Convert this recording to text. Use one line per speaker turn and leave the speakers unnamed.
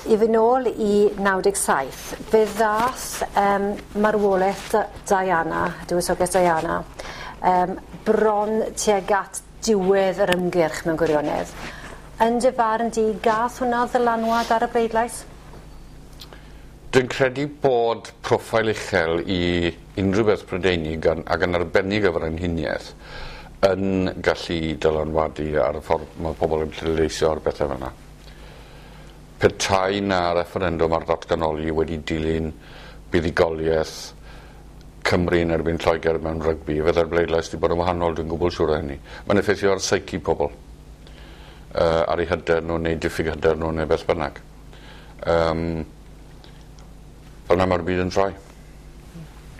I fyn' nôl i 97, fe ddath yym marwoleth Diana, dywysoges Diana yym bron tuag at diwedd yr ymgyrch mewn gwirionedd. Yn dy farn di, gath hwnna ddylanwad ar y bleidlais?
Dwi'n credu bod proffail uchel i unrhyw beth Prydeinig yn, ac yn arbennig y frenhiniaeth yn gallu dylanwadu ar y ffordd mae pobl yn pleidleisio ar bethau fel 'na. Petai 'na refferendwm ar ddatganoli wedi dilyn buddugoliaeth Cymru yn erbyn Lloegr mewn rygbi, fydde'r bleidlais 'di bod yn wahanol, dwi'n gwbl siŵr o hynny. Mae'n effeithio ar psyche pobl, ar eu hyder nhw neu diffyg hyder nhw neu beth bynnag. Fel 'na mae'r byd yn troi.